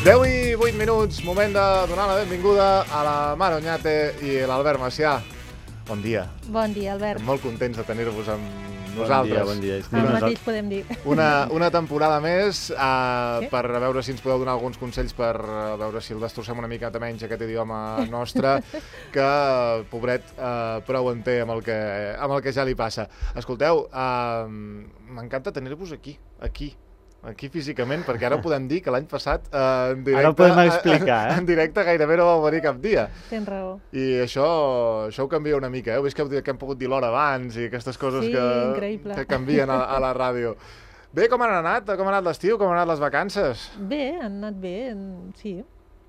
10 i 8 minuts, moment de donar la benvinguda a la Mar Oñate i l'Albert Macià. Bon dia. Bon dia, Albert. Molt contents de tenir-vos amb nosaltres. Bon dia. El mateix podem dir. Una temporada més per veure si ens podeu donar alguns consells per veure si el destrossem una mica menys aquest idioma nostre, que, pobret, prou en té amb el que ja li passa. Escolteu, m'encanta tenir-vos aquí físicament, perquè ara podem dir que l'any passat en directe, ara ho podem explicar, en directe gairebé no vau venir cap dia. Tens raó. I això ho canvia una mica, Heu vist que hem pogut dir l'hora abans i aquestes coses que canvien a la ràdio. Bé, com han anat? Com ha anat l'estiu? Com han anat les vacances? Bé, han anat bé, sí.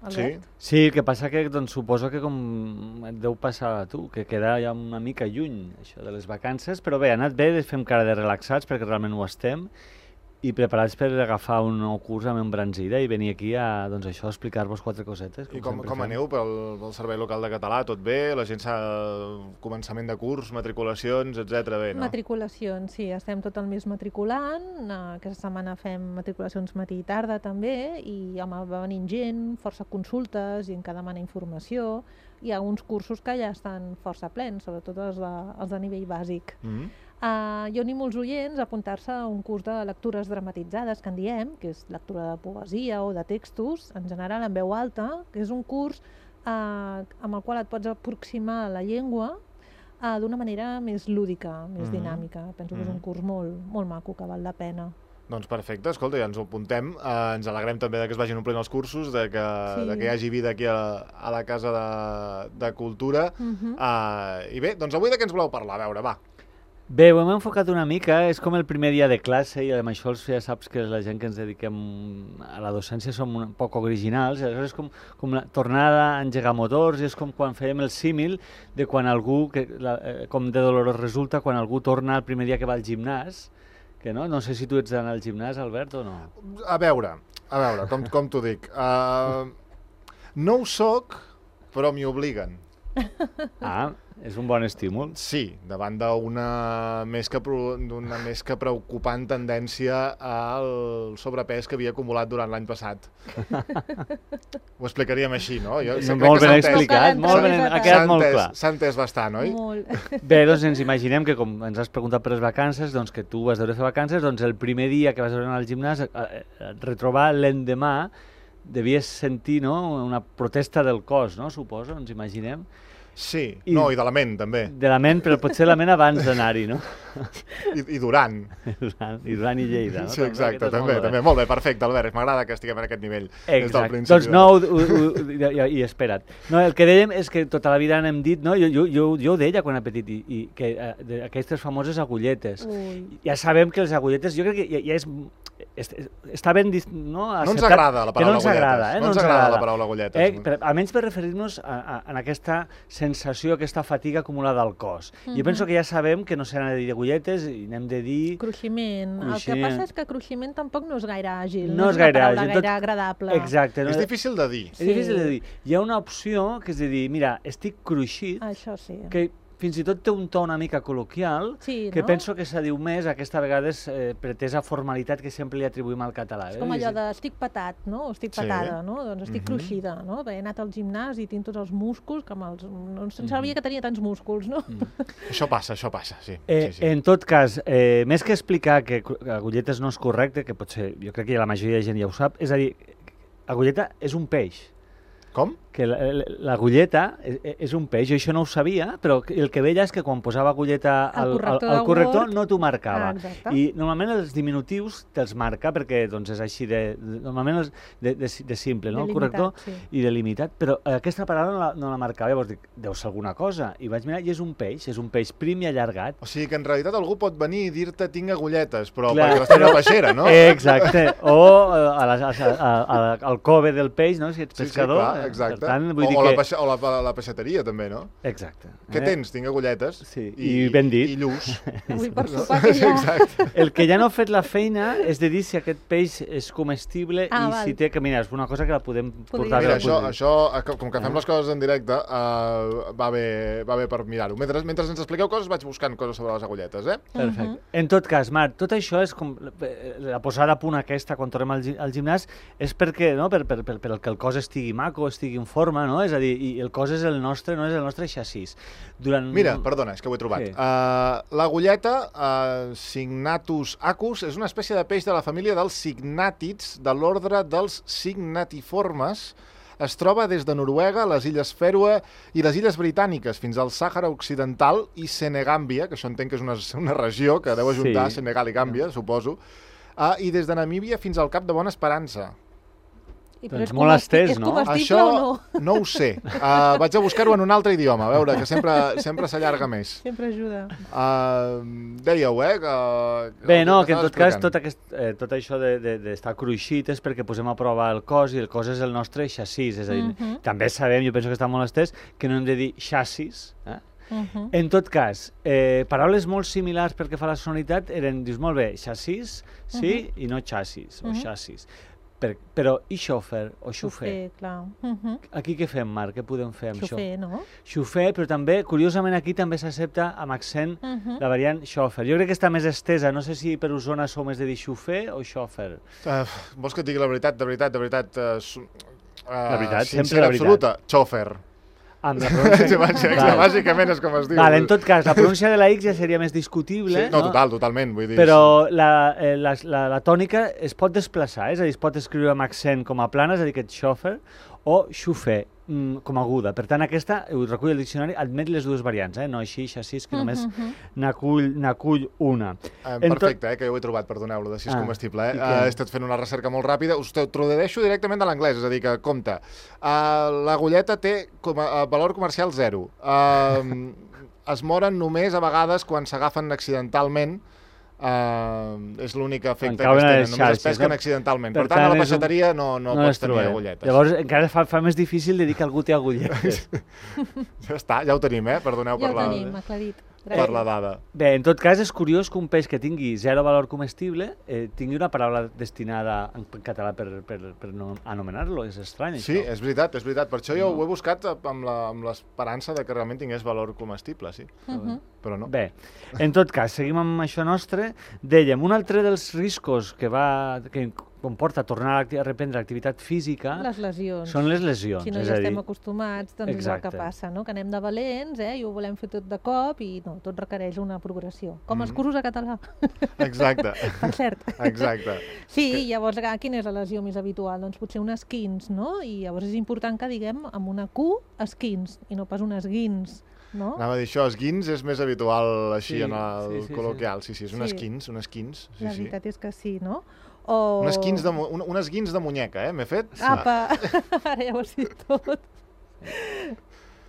Albert? Sí, el que passa que suposo que com et deu passar a tu, que queda ja una mica lluny això de les vacances, però bé, ha anat bé, fem cara de relaxats perquè realment ho estem, i preparats per agafar un nou curs amb embranzida i venir aquí a explicar-vos 4 cosetes. I com aneu pel Servei Local de Català? Tot bé? La gent començament de curs, matriculacions, etc. Bé, no? Matriculacions, sí. Estem tot el mes matriculant. Aquesta setmana fem matriculacions matí i tarda també, i va venint gent, força consultes, gent que demana informació. Hi ha uns cursos que ja estan força plens, sobretot els de nivell bàsic. Jo animo els oients a apuntar-se a un curs de lectures dramatitzades, que en diem, que és lectura de poesia o de textos, en general en veu alta, que és un curs amb el qual et pots aproximar a la llengua d'una manera més lúdica, més dinàmica. Penso que és un curs molt maco, que val la pena. Doncs perfecte, escolta, ja ens ho apuntem. Ens alegrem també que es vagin omplint els cursos, de que hi hagi vida aquí a la Casa de Cultura. I bé, doncs avui de què ens voleu parlar? A veure, va. Bé, ho hem enfocat una mica, és com el primer dia de classe i amb això ja saps que la gent que ens dediquem a la docència som un poc originals, és com la tornada a engegar motors, és com quan fèiem el símil de quan algú, com de dolorós resulta, quan algú torna el primer dia que va al gimnàs, que no sé si tu ets d'anar al gimnàs, Albert, o no? A veure, com t'ho dic, no ho soc, però m'hi obliguen. És un bon estímul. Sí, davant d'una més que preocupant tendència al sobrepès que havia acumulat durant l'any passat. Ho explicaríem així, no? Molt ben explicat, ha quedat molt clar. S'ha entès bastant, oi? Molt. Bé, doncs ens imaginem que, com ens has preguntat per les vacances, doncs que tu vas deure fer vacances, doncs el primer dia que vas anar al gimnàs, retrobar l'endemà, devies sentir una protesta del cos, no? Suposo, ens imaginem. Sí, i de la ment, també. De la ment, però potser la ment abans d'anar-hi, no? I durant. I durant i Lleida, no? Sí, exacte, també. Molt bé, perfecte, Albert, m'agrada que estiguem en aquest nivell. Exacte, doncs no, i espera't. No, el que dèiem és que tota la vida n'hem dit, no? Jo ho deia quan era petit, i que aquestes famoses agulletes. Ja sabem que les agulletes, jo crec que ja està ben acceptat. No ens agrada la paraula agulletes. No ens agrada la paraula agulletes. Almenys per referir-nos a aquesta sensació, aquesta fatiga acumulada al cos. Jo penso que ja sabem que no s'ha de dir agulletes i n'hem de dir... Cruiximent. El que passa és que cruiximent tampoc no és gaire àgil. No és gaire àgil. Gaire agradable. Exacte. És difícil de dir. És difícil de dir. Hi ha una opció que és de dir, mira, estic cruixit. Això sí. Que fins i tot té un to una mica col·loquial, que penso que se diu més aquesta vegada pretesa formalitat que sempre li atribuïm al català. És com allò de estic patat, no? O estic patada, no? Doncs estic cruixida, no? He anat al gimnàs i tinc tots els músculs, no sabia que tenia tants músculs, no? Això passa, sí. En tot cas, més que explicar que agulletes no és correcte, que potser jo crec que la majoria de gent ja ho sap, és a dir, agulleta és un peix. Com? Que l'agulleta és un peix, jo això no ho sabia, però el que veia és que quan posava agulleta al corrector no t'ho marcava. I normalment els diminutius te'ls marca perquè és així normalment de simple, no? El corrector i delimitat, però aquesta paraula no la marcava, llavors dic, deu ser alguna cosa, i vaig mirar i és un peix prim i allargat. O sigui que en realitat algú pot venir i dir-te tinc agulletes, però perquè estic a la peixera, no? Exacte, o al cove del peix, no? Si ets pescador. Exacte. tant, vull dir que... O la peixateria, també, no? Exacte. Què tens? Tinc agulletes. Sí, i ben dit. I lluç. Avui per sopar que ja... Exacte. El que ja no ha fet la feina és de dir si aquest peix és comestible i si té... Que mira, és una cosa que la podem portar... Mira, això, com que fem les coses en directe, va bé per mirar-ho. Mentre ens expliqueu coses, vaig buscant coses sobre les agulletes, eh? Perfecte. En tot cas, Marc, tot això és com la posada a punt aquesta quan tornem al gimnàs és perquè, no?, per que el cos estigui maco, estigui en forma, no? És a dir, i el cos és el nostre, no és el nostre xassís. Mira, perdona, és que ho he trobat. L'agulleta, Signatus acus, és una espècie de peix de la família dels signàtids de l'ordre dels signatiformes. Es troba des de Noruega, les illes Fèroe i les illes britàniques fins al Sàhara Occidental i Senegàmbia, que això entenc que és una regió que deu ajuntar Senegal i Gàmbia, suposo, i des de Namíbia fins al Cap de Bona Esperança. Doncs molt estès, no? És comestible o no? No ho sé. Vaig a buscar-ho en un altre idioma, a veure, que sempre s'allarga més. Sempre ajuda. Dèieu, Bé, no, que en tot cas tot això d'estar cruixit és perquè posem a prova el cos i el cos és el nostre xassís. És a dir, també sabem, jo penso que està molt estès, que no hem de dir xassis. En tot cas, paraules molt similars pel que fa a la sonoritat eren, dius, molt bé, xassís, sí, i no xassis, o xassis. Però i xòfer o xofer? Clar. Aquí què fem, Marc? Què podem fer amb això? Xofer, no? Xofer, però també, curiosament, aquí també s'accepta amb accent la variant xòfer. Jo crec que està més estesa. No sé si per Osona sou més de dir xofer o xòfer. Vols que et digui la veritat? De veritat. La veritat, sempre la veritat. Absoluta, xòfer. Amb la pronúncia... Bàsicament és com es diu. En tot cas, la pronúncia de la X ja seria més discutible. No, totalment. Vull dir... Però la tònica es pot desplaçar, és a dir, es pot escriure amb accent com a plana, és a dir, aquest xòfer, o xofer, com a aguda. Per tant, aquesta, ho recull el diccionari, admet les dues variants, no així, xassís, que només n'acull una. Perfecte, que jo ho he trobat, perdoneu-lo, de si és comestible. He estat fent una recerca molt ràpida, us tradueixo directament de l'anglès, és a dir, que, compte, l'agulleta té valor comercial 0. Es moren només a vegades quan s'agafen accidentalment, és l'únic efecte que tenen, només es pesquen accidentalment. Per tant, a la peixateria no pots tenir agulletes. Llavors encara fa més difícil de dir que algú té agulletes. Ja està, ja ho tenim, perdoneu per la... Ja ho tenim, aclarit. Per la dada. Bé, en tot cas és curiós que un peix que tingui 0 valor comestible tingui una paraula destinada en català per no anomenar-lo. És estrany, això. Sí, és veritat. Per això jo ho he buscat amb l'esperança de que realment tingués valor comestible, sí. Però no. Bé, en tot cas, seguim amb això nostre. Dèiem, un altre dels riscos que comporta tornar a reprendre l'activitat física... Les lesions. Són les lesions. Si no ja estem acostumats, doncs és el que passa, no? Que anem de valents i ho volem fer tot de cop i no, tot requereix una progressió. Com els cursos a català. Exacte. Per cert. Exacte. Sí, llavors, quina és la lesió més habitual? Doncs potser un esquins, no? I llavors és important que diguem amb una Q, esquins, i no pas un esguins. No? Anava a dir això, esguins és més habitual així en el col·loquial. Sí, és un esquins. La veritat és que sí, no? Un esguins de muñeca, m'he fet? Apa, ara ja ho has dit tot.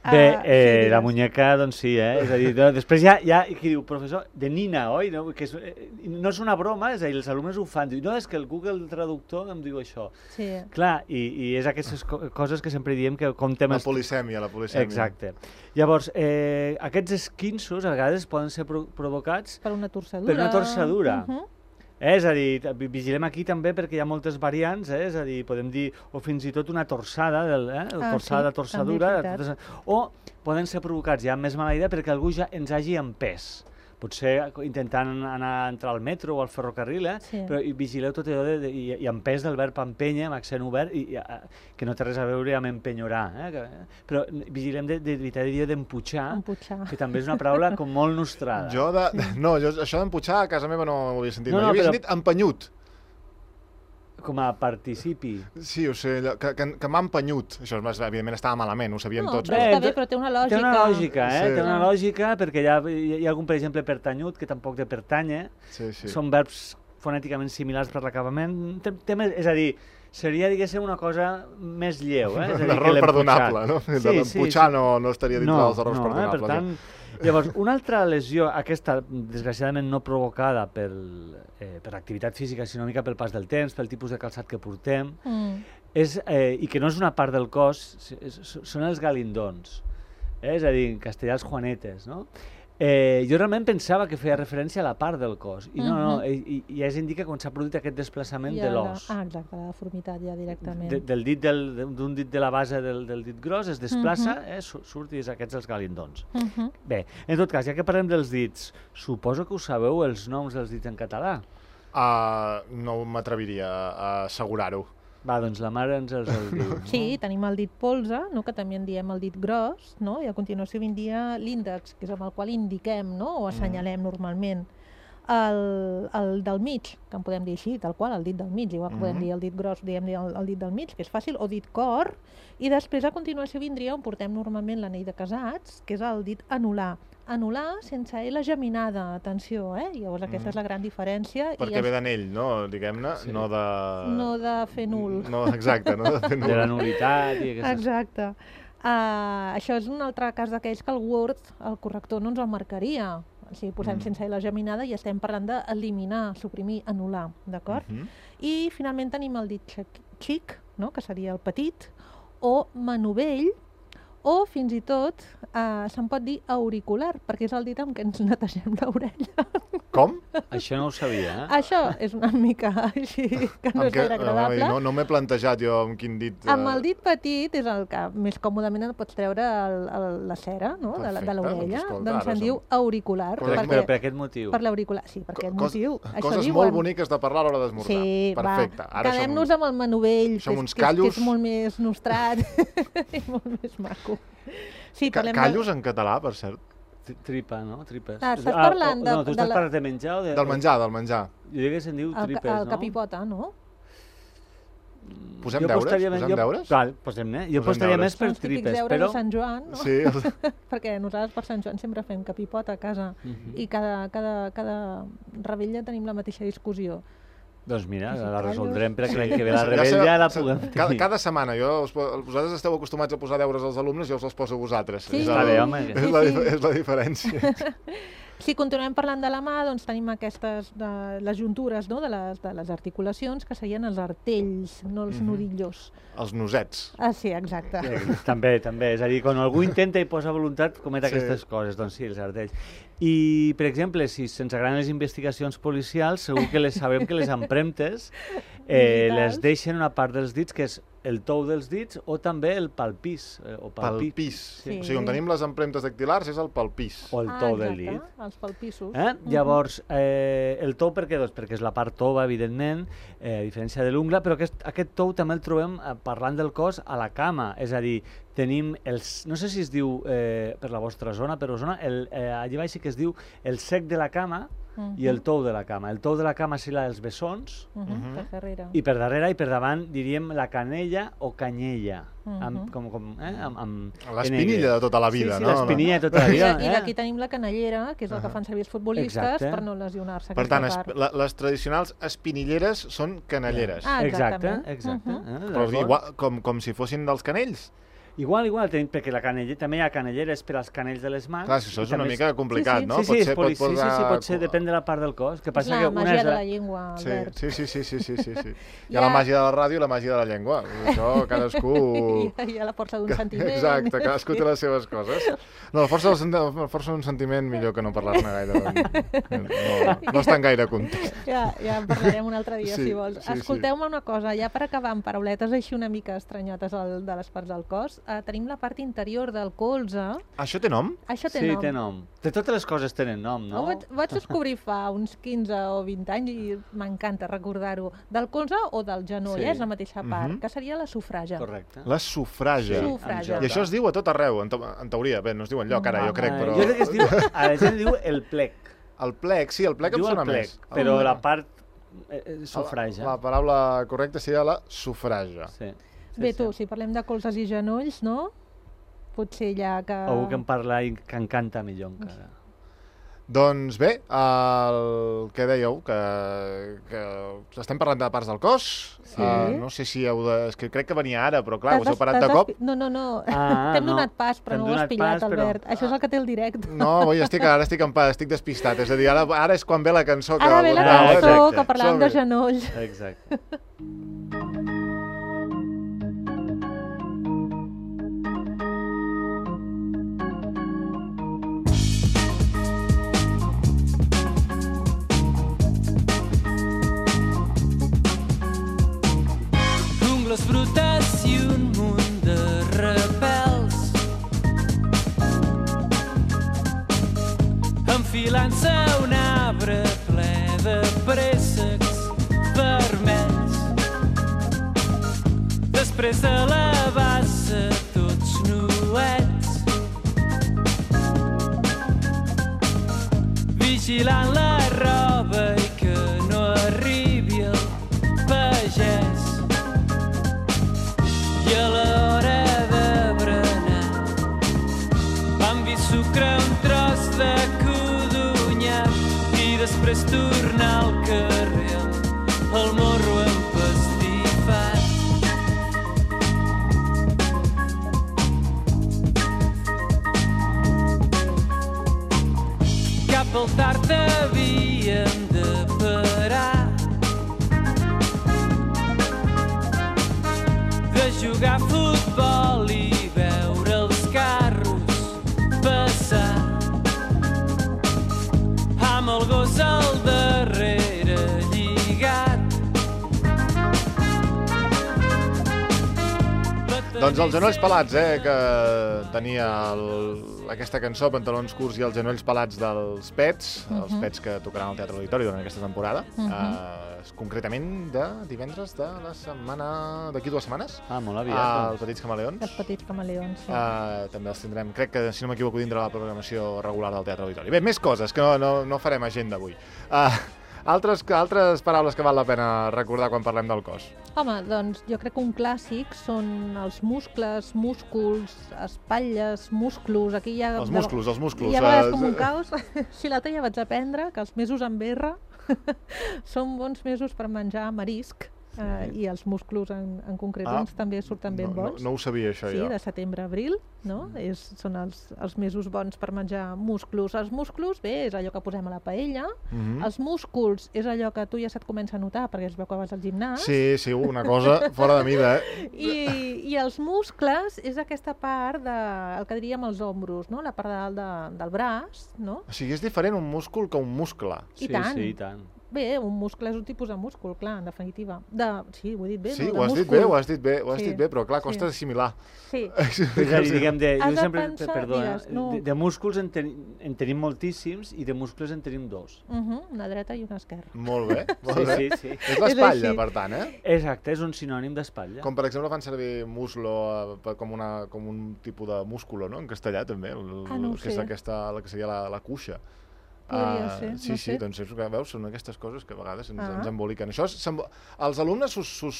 Bé, la muñeca, doncs sí, és a dir, després hi ha qui diu, professor, de nina, oi? No és una broma, és a dir, els alumnes ho fan, diu, no, és que el Google Traductor em diu això. Sí. Clar, i és aquestes coses que sempre diem que comptem... La polisèmia. Exacte. Llavors, aquests esquinços a vegades poden ser provocats... Per una torcedura. Per una torcedura. És a dir, vigilem aquí també perquè hi ha moltes variants, és a dir, podem dir, o fins i tot una torsada, torsadura, o poden ser provocats ja amb més mala idea perquè algú ja ens hagi empès. Potser intentant entrar al metro o al ferrocarril, però vigileu tot allò i empès del verb empènyer, amb accent obert, que no té res a veure amb empenyorar. Però vigilem d'evitar dir d'emputxar, que també és una paraula com molt nostrada. No, això d'emputxar a casa meva no ho havia sentit mai. Jo havia sentit empenyut. Com a participi. Sí, o sigui, que m'ha empenyut. Això, evidentment, estava malament, ho sabíem tots. Però està bé, però té una lògica. Té una lògica, té una lògica, perquè hi ha algun, per exemple, pertanyut, que tampoc té pertanya. Són verbs fonèticament similars per l'acabament. És a dir, seria, diguéssim, una cosa més lleu. Un error perdonable, no? L'emputxar no estaria dintre dels errors perdonables. Per tant, llavors, una altra lesió, aquesta desgraciadament no provocada per l'activitat física, sinó una mica pel pas del temps, pel tipus de calçat que portem, i que no és una part del cos, són els galindons, és a dir, en castellà els juanetes, no? Jo realment pensava que feia referència a la part del cos, i no, ja es indica quan s'ha produït aquest desplaçament de l'os. Exacte, la deformitat ja directament. D'un dit de la base del dit gros es desplaça, surt i és aquests els galindons. Bé, en tot cas, ja que parlem dels dits, suposo que us sabeu els noms dels dits en català? No m'atreviria a assegurar-ho. Va, doncs la mare ens els diu. No? Sí, tenim el dit polze, no? Que també en diem el dit gros, no? I a continuació vindria l'índex, que és amb el qual indiquem, no? O assenyalem normalment. El del mig, que en podem dir així, tal qual, el dit del mig, igual que podem dir el dit gros, diem el dit del mig, que és fàcil, o dit cor, i després a continuació vindria on portem normalment l'anell de casats, que és el dit anular. Anular sense L geminada, atenció, Llavors aquesta és la gran diferència. Perquè ve d'anell, no? Diguem-ne, no de... No de fer nul. No, exacte, no de fer nul. De la nulitat i aquestes... Exacte. Això és un altre cas d'aquells que el Word, el corrector, no ens el marcaria. O sigui, posem sense L geminada i estem parlant d'eliminar, suprimir, anul·lar, d'acord? I finalment tenim el dit xic, no? Que seria el petit, o manovell, o fins i tot se'n pot dir auricular, perquè és el dit amb què ens netegem l'orella. Com? Això no ho sabia, Això és una mica així, que no és gaire agradable. No m'he plantejat jo amb quin dit... Amb el dit petit és el que més còmodament et pots treure la cera, no? De l'orella, doncs se'n diu auricular. Però per aquest motiu? Per l'auricular, sí, per aquest motiu. Coses molt boniques de parlar a l'hora d'esmorzar. Sí, perfecte. Quedem-nos amb el manovell, que és molt més nostrat i molt més maco. Callos en català, per cert. Tripa, no? Tripes. Estàs parlant No, tu estàs parlant de menjar o de... Del menjar. Jo diria que se'n diu tripes, no? El capipota, no? Posem deures? Val, posem-ne. Jo postaria més per tripes, però... Els típics deures de Sant Joan, no? Sí. Perquè nosaltres per Sant Joan sempre fem capipota a casa i cada rebella tenim la mateixa discussió. Doncs mira, la resoldrem perquè l'any que ve la rebella la puguem tenir. Cada setmana, vosaltres esteu acostumats a posar deures als alumnes, jo us els poso a vosaltres. Sí, està bé, home. És la diferència. Si continuem parlant de la mà, doncs tenim aquestes, les juntures, no? de les articulacions, que serien els artells, no els nudillos. Els nosets. Sí, exacte. També. És a dir, quan algú intenta i posa voluntat, comet aquestes coses. Doncs sí, els artells. I, per exemple, si se'ns agraden les investigacions policials, segur que sabem que les empremtes les deixen una part dels dits, que és el tou dels dits, o també el palpís. Palpís. Sí. O sigui, on tenim les empremtes dactilars és el palpís. O el tou del dit. Els palpissos. Llavors, el tou per què? Doncs perquè és la part tova, evidentment, a diferència de l'ungla, però aquest tou també el trobem, parlant del cos, a la cama. És a dir, tenim no sé si es diu per la vostra zona, per Osona, allà baix sí que es diu el sec de la cama i el tou de la cama. El tou de la cama serà els bessons, per darrere. I per darrere i per davant diríem la canella o canyella. L'espinilla de tota la vida, no? Sí, l'espinilla de tota la vida. I aquí tenim la canellera, que és el que fan servir els futbolistes per no lesionar-se. Per tant, les tradicionals espinilleres són canelleres. Exacte. Però com si fossin dels canells. Igual, perquè la canella, també hi ha canelleres per als canells de les mans. Clar, això és una mica complicat, no? Sí, pot ser, depèn de la part del cos. Que passa la màgia de la llengua, Albert. Sí. Hi ha la màgia de la ràdio i la màgia de la llengua. Això cadascú... Hi ha la força d'un sentiment. Exacte, cadascú té les seves coses. No, la força d'un sentiment millor que no parlar-ne gaire. No està en gaire context. Ja en parlarem un altre dia, si vols. Escolteu-me una cosa, ja per acabar amb parauletes així una mica estranyotes de les parts del cos, tenim la part interior del colze. Això té nom? Això té nom. Sí, té nom. De totes les coses tenen nom, no? Vaig descobrir fa uns 15 o 20 anys i m'encanta recordar-ho. Del colze o del genoll, és la mateixa part, que seria la sufraja. Correcte. La sufraja. I això es diu a tot arreu, en teoria. Bé, no es diu enlloc ara, jo crec, però... Jo crec que es diu, a la gent diu el plec. El plec, sí, el plec em sona més. Però la part sufraja. La paraula correcta seria la sufraja. Sí. Bé, tu, si parlem de colzes i genolls, no? Potser ja que... Algú que en parla i que encanta millor encara. Doncs bé, el que dèieu, que estem parlant de parts del cos. No sé si heu de... És que crec que venia ara, però clar, us heu parat de cop. No. T'hem donat pas, però no ho has pillat, Albert. Això és el que té el directe. No, ara estic despistat. És a dir, ara és quan ve la cançó que... Ara ve la cançó que parlàvem de genolls. Exacte. vigilant-se un arbre ple de préssecs vermells. Després de la bassa tots nuets, vigilant la roba i que no arribi el pagès. I a l'hora de berenar vam vi sucre un tros de codonyac i després tornar al carrer el morro empastifat. Cap al tard havíem de parar, de jugar a futbol i veure els carros passar, amb el gos al darrere lligat. Doncs els genolls pelats, que tenia aquesta cançó, Pantalons curts i els genolls pelats dels Pets, els Pets que tocaran al Teatre Auditori durant aquesta temporada, concretament de divendres de la setmana... d'aquí 2 setmanes. Molt aviat. Els Petits Camaleons. Els Petits Camaleons, sí. També els tindrem, crec que, si no m'equivoco, dintre la programació regular del Teatre Auditori. Bé, més coses, que no farem agenda avui. Altres paraules que val la pena recordar quan parlem del cos. Home, doncs jo crec que un clàssic són els muscles, músculs, espatlles, musclos. Aquí hi ha... Els músculs. Hi ha vegades com un caos. Si l'altre ja vaig aprendre que els mesos amb R són bons mesos per menjar marisc. I els músculs en concret també surten ben bons. No ho sabia, això, jo. Sí, de setembre a abril, no? Són els mesos bons per menjar músculs. Els músculs, bé, és allò que posem a la paella. Els músculs és allò que tu ja se't comença a notar perquè es veu que vas al gimnàs. Sí, una cosa fora de mida, I els muscles és aquesta part el que diríem els ombros, no? La part de dalt del braç, no? O sigui, és diferent un múscul que un muscle. I tant. Sí, i tant. Bé, un muscle és un tipus de múscul, clar, en definitiva. Sí, ho he dit bé, sí, no? Ho has dit bé, però clar, costa d'assimilar. Sí. Diguem, jo sempre, de músculs en tenim moltíssims i de muscles en tenim 2. Una dreta i una esquerra. Molt bé, molt bé. Sí. És l'espatlla, per tant, Exacte, és un sinònim d'espatlla. Com per exemple fan servir muslo com un tipus de músculo, no? En castellà també, que és la que seria la cuixa. Podria ser, sí, doncs veus, són aquestes coses que a vegades ens emboliquen. Això, els alumnes us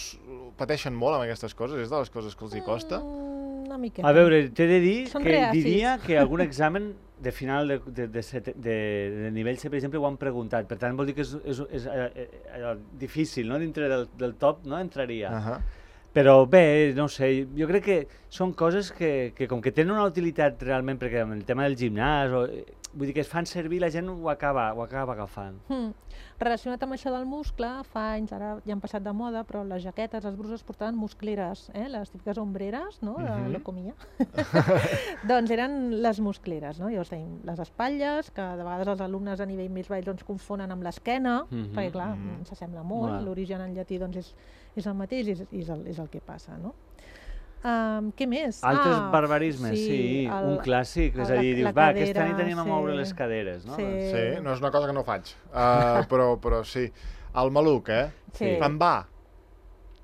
pateixen molt amb aquestes coses? És de les coses que els hi costa? Una miqueta. A veure, t'he de dir diria que algun examen de final de nivell C, per exemple, ho han preguntat. Per tant, vol dir que és difícil, no? Dintre del top no entraria. Però bé, no sé, jo crec que són coses que com que tenen una utilitat realment, perquè amb el tema del gimnàs, vull dir que es fan servir, la gent ho acaba agafant. Relacionat amb això del muscle, fa anys, ara ja han passat de moda, però les jaquetes, les bruses portaven muscleres, les típiques ombreres, no?, de l'ecomia. Doncs eren les muscleres, no? Llavors tenim les espatlles, que de vegades els alumnes a nivell més baix doncs confonen amb l'esquena, perquè clar, s'assembla molt, l'origen en llatí doncs és el mateix i és el que passa, no? Què més? Altres barbarismes, sí, un clàssic, és a dir, dius, aquesta nit tenim a moure les caderes, no? Sí, no és una cosa que no faig, però sí. El maluc, en va.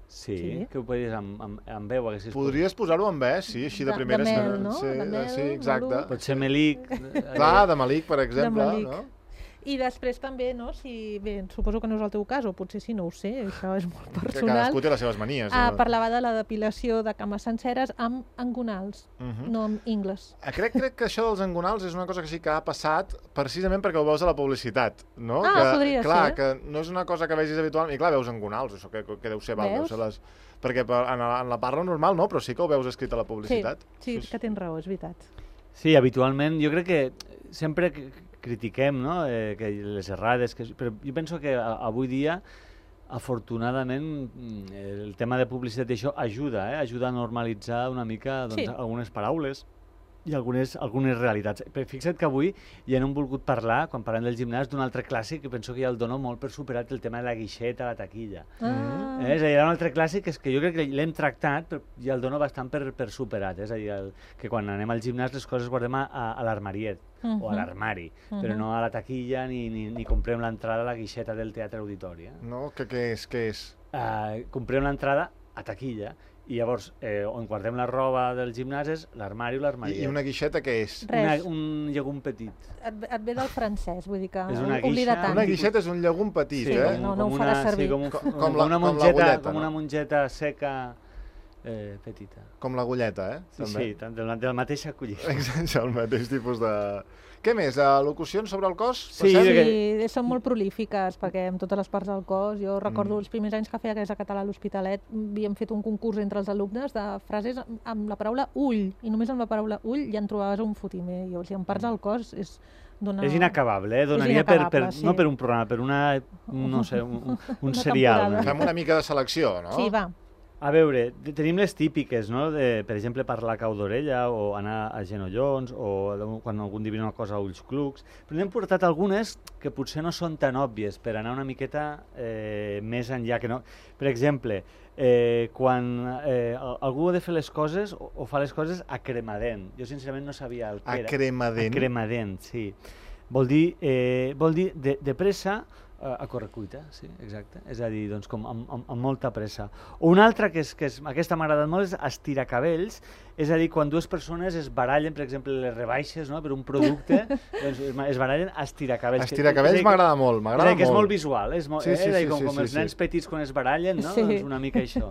Sí, que ho podies amb veu. Podries posar-ho amb ve, sí, així de primera. De mel, no? Sí, exacte. Pot ser melic. Clar, de melic, per exemple, no? I després també, no, bé, suposo que no és el teu cas, o potser sí, no ho sé, això és molt personal. Cadascú té les seves manies. Parlava de la depilació de cames senceres amb engonals, no amb ingles. Crec que això dels engonals és una cosa que sí que ha passat precisament perquè ho veus a la publicitat, no? Podria ser. Clar, que no és una cosa que vegis habitualment, i clar, veus engonals, això que deu ser val, deu ser les... Perquè en la parla normal no, però sí que ho veus escrit a la publicitat. Sí, que tens raó, és veritat. Sí, habitualment, jo crec que sempre critiquem, no?, que les errades, però jo penso que avui dia, afortunadament, el tema de publicitat i això ajuda a normalitzar una mica algunes paraules i algunes realitats. Però fixa't que avui ja no hem volgut parlar, quan parlem del gimnàs, d'un altre clàssic que penso que ja el dono molt per superat, el tema de la guixeta, la taquilla. És a dir, hi ha un altre clàssic que jo crec que l'hem tractat, però ja el dono bastant per superat. És a dir, que quan anem al gimnàs les coses guardem a l'armariet o a l'armari, però no a la taquilla ni comprem l'entrada a la guixeta del teatre auditori. No? Què és? Comprem l'entrada a taquilla. I llavors, on guardem la roba del gimnàs és l'armari o l'armariet. I una guixeta què és? Un llegum petit. Et ve del francès, vull dir que oblida tant. Una guixeta és un llegum petit, No ho farà servir. Com una mongeta seca petita. Com l'agulleta, Sí, del mateix acollida. Exacte, el mateix tipus de... Què més? Locucions sobre el cos? Sí, són molt prolífiques, perquè en totes les parts del cos, jo recordo els primers anys que feia a Català a l'Hospitalet, havíem fet un concurs entre els alumnes de frases amb la paraula ull, i només amb la paraula ull ja en trobaves un fotimer, i en parts del cos és inacabable, donaria no per un programa, per un serial. Fem una mica de selecció, no? Sí, va. A veure, tenim les típiques, no? Per exemple, parlar cau d'orella o anar a genollons o quan algun dia una cosa a ulls clucs. Però n'hem portat algunes que potser no són tan òbvies per anar una miqueta més enllà. Per exemple, quan algú ha de fer les coses o fa les coses a cremadent. Jo sincerament no sabia el que era. A cremadent? A cremadent, sí. Vol dir de pressa, a correcuita, sí, exacte. És a dir, doncs, com amb molta pressa. Una altra que aquesta m'ha agradat molt és estiracabells, és a dir, quan dues persones es barallen, per exemple, les rebaixes, no?, per un producte, doncs es barallen estiracabells. Estiracabells m'agrada molt, m'agrada molt. És molt visual, és com els nens petits quan es barallen, no? Doncs una mica això,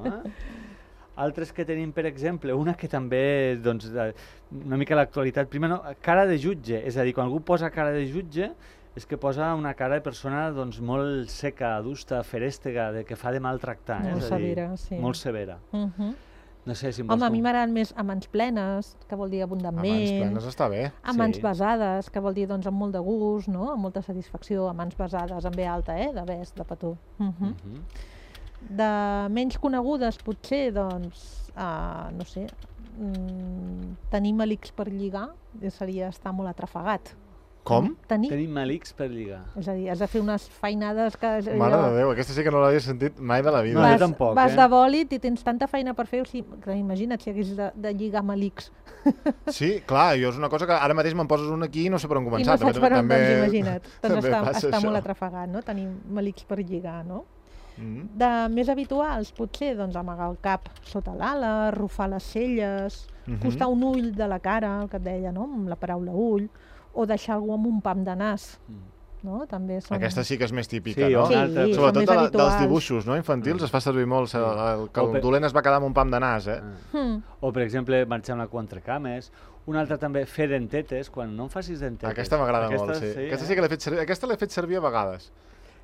Altres que tenim, per exemple, una que també, doncs, una mica l'actualitat, primer, cara de jutge, és a dir, quan algú posa cara de jutge, és que posa una cara de persona doncs, molt seca, adusta, ferèstega, que fa de maltractar. Molt severa, sí. Molt severa. No sé si a mi m'agraden més a mans plenes, que vol dir abundantment. A mans plenes està bé. A mans besades, que vol dir doncs, amb molt de gust, no? Amb molta satisfacció. A mans besades, amb B alta, de bes, de petó. De menys conegudes, potser, doncs, no sé, tenir malics per lligar seria estar molt atrafegat. Com? Tenir malics per lligar. És a dir, has de fer unes feinades que... Mare de Déu, aquesta sí que no l'havia sentit mai de la vida. No, jo tampoc. Vas de bòlit i tens tanta feina per fer, o sigui, que imagina't si hagués de lligar malics. Sí, clar, jo és una cosa que ara mateix me'n poses un aquí i no sé per on començar. I no saps per on, doncs imagina't. Doncs està molt atrafegat, no?, tenir malics per lligar, no? De més habituals, potser, doncs, amagar el cap sota l'ala, arrufar les celles, costar un ull de la cara, el que et deia, no?, amb la paraula ull, o deixar algú amb un pam de nas. No? També són... Aquesta sí que és més típica, no? Sí, sobretot dels dibuixos, no?, infantils, es fa servir molt, que el dolent es va quedar amb un pam de nas, O, per exemple, marxar amb la cua entre cames. Una altra també, fer dentetes, quan no em facis dentetes. Aquesta m'agrada molt, sí. Aquesta sí que l'he fet servir, aquesta l'he fet servir a vegades.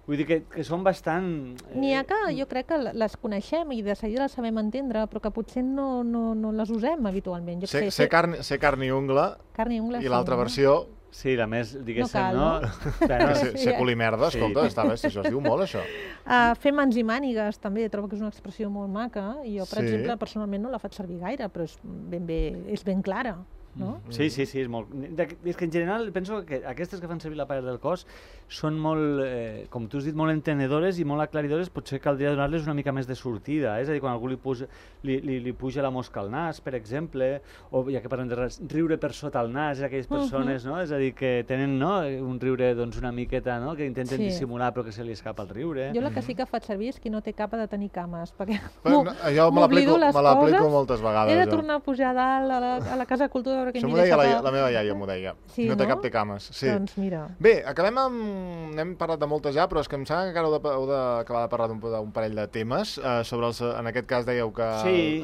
Vull dir que són bastant... N'hi ha que jo crec que les coneixem i de seguida les sabem entendre, però que potser no les usem habitualment. Ser carn i ungla, i l'altra versió... Sí, la més, diguéssim, no? Ser culimerda, escolta, està bé, això es diu molt, això. Fer mans i mànigues, també, trobo que és una expressió molt maca, i jo, per exemple, personalment no la faig servir gaire, però és ben clara. No? Sí, és molt... És que en general penso que aquestes que fan servir la part del cos són molt, com tu has dit, molt entenedores i molt aclaridores, potser caldria donar-les una mica més de sortida, és a dir, quan algú li puja la mosca al nas, per exemple, o ja que parlem de riure per sota el nas, aquelles persones, no? És a dir, que tenen un riure doncs, una miqueta, no?, que intenten dissimular però que se li escapa el riure. Jo la que sí que faig servir és qui no té capa de tenir cames, perquè jo me l'aplico moltes vegades. He de tornar a pujar a dalt a la Casa de Cultura. Això m'ho deia la meva iaia, m'ho deia. Sí, no té cap té cames. Sí. Doncs mira. Bé, acabem amb... N'hem parlat de moltes ja, però és que em sembla que encara heu d'acabar de parlar d'un parell de temes. Sobre en aquest cas dèieu que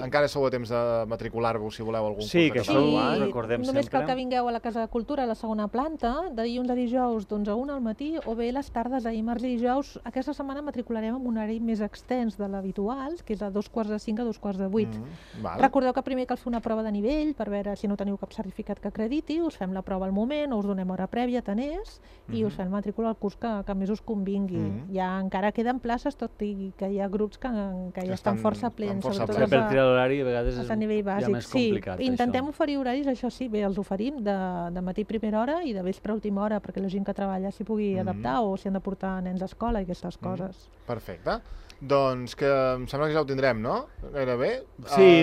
encara sou a temps de matricular-vos si voleu algun curs de català. Sí, que això ho recordem sempre. Només cal que vingueu a la Casa de Cultura, a la segona planta, de dilluns a dijous d'11 al matí, o bé les tardes, dimarts i dijous. Aquesta setmana matricularem amb un horari més extens de l'habitual, que és a 2:45 a 2:45. Recordeu que primer cal fer una prova de nivell per veure si no teniu cap cap certificat que acrediti, us fem la prova al moment, o us donem hora prèvia, tant és, i us fem matrícula al curs que més us convingui. Ja encara queden places, tot i que hi ha grups que ja estan força plens. Per triar l'horari a vegades és a nivell bàsic. més complicat. Intentem oferir horaris, això sí, bé, els oferim de matí primera hora i de vespre última hora, perquè la gent que treballa s'hi pugui adaptar o s'hi han de portar nens a escola i aquestes coses. Perfecte. Doncs que em sembla que ja ho tindrem, no? Gairebé. Sí,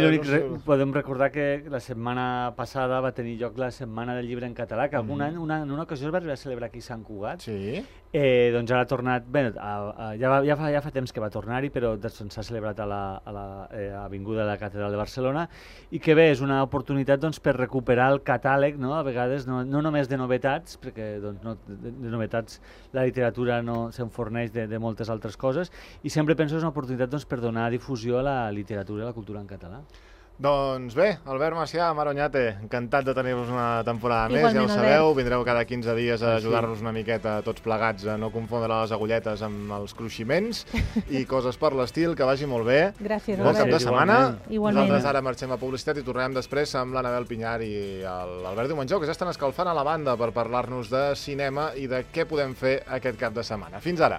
podem recordar que la setmana passada va tenir lloc la Setmana del Llibre en Català, que algun any, en una ocasió es va arribar a celebrar aquí a Sant Cugat. Sí. Doncs ara ha tornat, bé, ja fa temps que va tornar-hi, però s'ha celebrat a l'Avinguda de la Catedral de Barcelona, i que bé, és una oportunitat per recuperar el catàleg, a vegades no només de novetats, perquè de novetats la literatura no se'n forneix de moltes altres coses, i sempre penso que és una oportunitat per donar difusió a la literatura i a la cultura en català. Doncs bé, Albert Macià, Mar Oñate, encantat de tenir-vos una temporada més, igualment, ja ho sabeu, vindreu cada 15 dies a ajudar-nos una miqueta tots plegats a no confondre les agulletes amb els cruiximents i coses per l'estil, que vagi molt bé. Gràcies, Bon cap de setmana. Igualment. Nosaltres ara marxem a publicitat i tornem després amb l'Anabel Pinyar i l'Albert Diumenjó, que ja estan escalfant a la banda per parlar-nos de cinema i de què podem fer aquest cap de setmana. Fins ara.